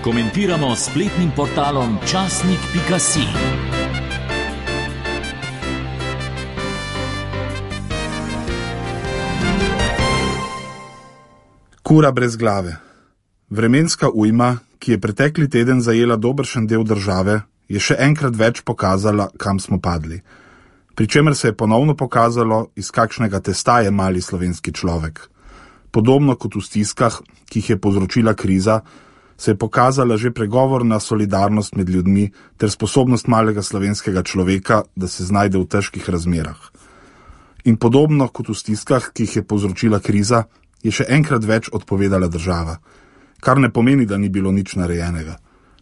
Komentiramo s spletnim portalom časnik.si. Kura brez glave. Vremenska ujma, ki je pretekli teden zajela dobršen del države, je še enkrat več pokazala, kam smo padli. Pričemer se je ponovno pokazalo, iz kakšnega testa je mali slovenski človek. Podobno kot v stiskah, ki jih je povzročila kriza, se je pokazala že pregovorna solidarnost med ljudmi ter sposobnost malega slovenskega človeka, da se znajde v težkih razmerah. In podobno kot v stiskah, ki jih je povzročila kriza, je še enkrat več odpovedala država. Kar ne pomeni, da ni bilo nič narejenega.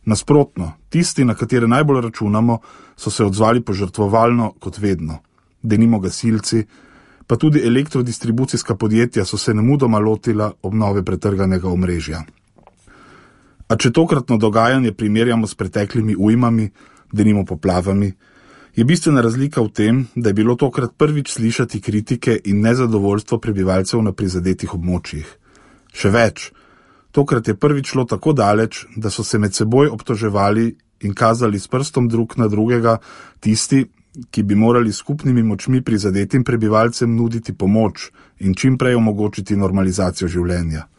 Nasprotno, tisti, na katere najbolj računamo, so se odzvali požrtvovalno kot vedno. Denimo gasilci, pa tudi elektrodistribucijska podjetja so se nemudoma lotila obnove pretrganega omrežja. A če tokratno dogajanje primerjamo s preteklimi ujmami, denimo poplavami, je bistvena razlika v tem, da je bilo tokrat prvič slišati kritike in nezadovoljstvo prebivalcev na prizadetih območjih. Še več, tokrat je prvič šlo tako daleč, da so se med seboj obtoževali in kazali s prstom drug na drugega tisti, ki bi morali skupnimi močmi prizadetim prebivalcem nuditi pomoč in čim prej omogočiti normalizacijo življenja.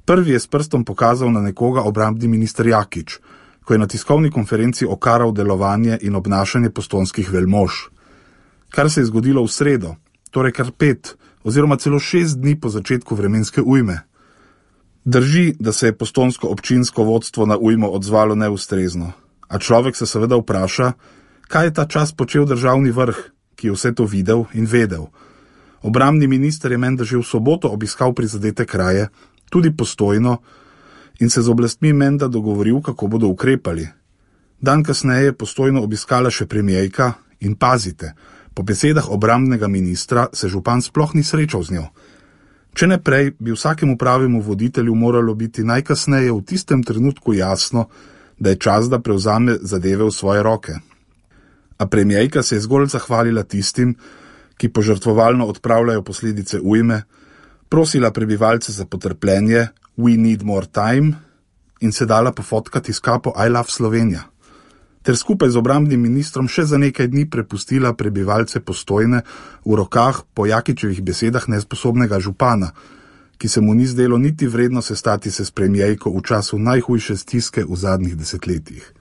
Prvi je s prstom pokazal na nekoga obrambni minister Jakič, ko je na tiskovni konferenci okaral delovanje in obnašanje postojnskih velmož. Kar se je zgodilo v sredo, torej kar 5 oziroma celo 6 dni po začetku vremenske ujme. Drži, da se je postojnsko občinsko vodstvo na ujmo odzvalo neustrezno, a človek se seveda vpraša, kaj je ta čas počel državni vrh, ki je vse to videl in vedel. Obrambni minister je menda že v soboto obiskal prizadete kraje, tudi Postojno, in se z oblastmi menda dogovoril, kako bodo ukrepali. Dan kasneje je Postojno obiskala še premierka in pazite, po besedah obrambnega ministra se župan sploh ni srečal z njo. Če ne prej, bi vsakemu pravemu voditelju moralo biti najkasneje v tistem trenutku jasno, da je čas, da prevzame zadeve v svoje roke. A premierka se je zgolj zahvalila tistim, ki požrtvovalno odpravljajo posledice ujme, prosila prebivalce za potrpljenje, we need more time, in se dala pofotkati s kapo I love Slovenija. Ter skupaj z obrambnim ministrom še za nekaj dni prepustila prebivalce Postojne v rokah po Jakičevih besedah nesposobnega župana, ki se mu ni zdelo niti vredno sestati se s premierko v času najhujše stiske v zadnjih desetletjih.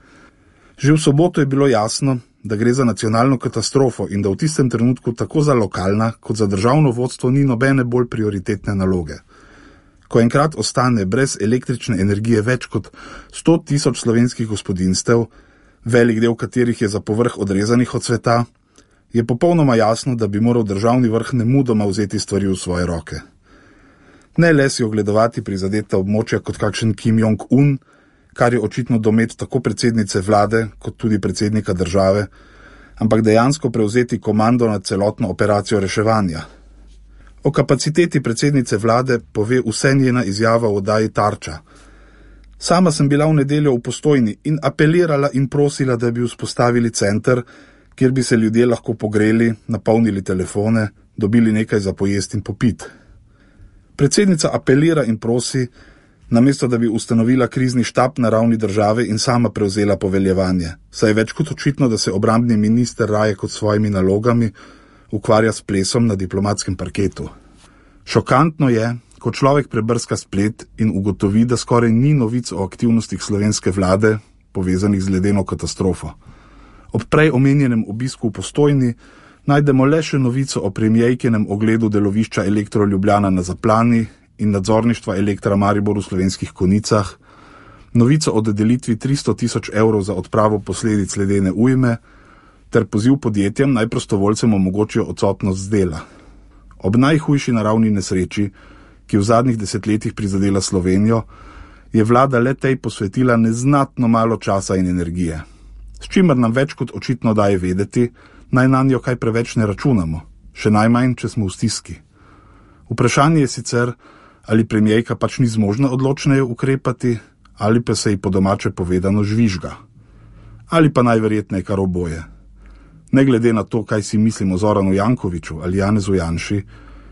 Že v soboto je bilo jasno, da gre za nacionalno katastrofo in da v tistem trenutku tako za lokalna kot za državno vodstvo ni nobene bolj prioritetne naloge. Ko enkrat ostane brez električne energije več kot 100 000 slovenskih gospodinjstev, velik del katerih je za povrh odrezanih od sveta, je popolnoma jasno, da bi moral državni vrh nemudoma vzeti stvari v svoje roke. Ne le si ogledovati prizadeta območja kot kakšen Kim Jong-un, kar je očitno domet tako predsednice vlade kot tudi predsednika države, ampak dejansko prevzeti komando nad celotno operacijo reševanja. O kapaciteti predsednice vlade pove vse njena izjava v oddaji Tarča. Sama sem bila v nedeljo v Postojni in apelirala in prosila, da bi vzpostavili center, kjer bi se ljudje lahko pogreli, napolnili telefone, dobili nekaj za pojesti in popiti. Predsednica apelira in prosi, namesto da bi ustanovila krizni štab na ravni države in sama prevzela poveljevanje, saj je več kot očitno, da se obrambni minister raje kot svojimi nalogami ukvarja s plesom na diplomatskem parketu. Šokantno je, ko človek prebrska splet in ugotovi, da skoraj ni novic o aktivnostih slovenske vlade, povezanih z ledeno katastrofo. Ob prej omenjenem obisku v Postojni najdemo le še novico o premierkinem ogledu delovišča Elektro Ljubljana na Zaplani in nadzorništva Elektra Maribor v Slovenskih Konicah, novico o dodelitvi 300 000 evrov za odpravo posledic ledene ujme, ter poziv podjetjem naj prostovoljcem omogočijo odsotnost z dela. Ob najhujši naravni nesreči, ki v zadnjih desetletjih prizadela Slovenijo, je vlada le tej posvetila neznatno malo časa in energije. S čimer nam več kot očitno daje vedeti, naj nanjo kaj preveč ne računamo, še najmanj, če smo v stiski. Vprašanje je sicer, ali premierka pač ni zmožna odločneje ukrepati, ali pa se ji po domače povedano žvižga. Ali pa najverjetneje kar oboje. Ne glede na to, kaj si mislimo o Zoranu Jankoviću ali Janezu Janši,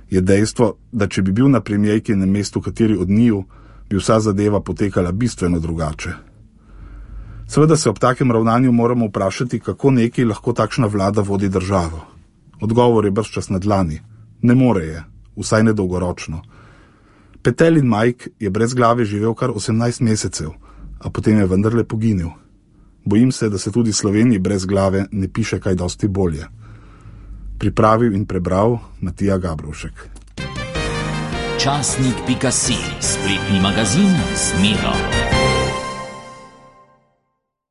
je dejstvo, da če bi bil na premierkinem mestu kateri od njiju, bi vsa zadeva potekala bistveno drugače. Seveda se ob takem ravnanju moramo vprašati, kako neki lahko takšna vlada vodi državo. Odgovor je bržčas na dlani. Ne more je, vsaj ne dolgoročno. Petelin Mike je brez glave živel kar 18 mesecev, a potem je vendarle poginil. Bojim se, da se tudi Sloveniji brez glave ne piše kaj dosti bolje. Pripravil in prebral Matija Gabrovšek. Časnik.si, spletni magazin z Miro.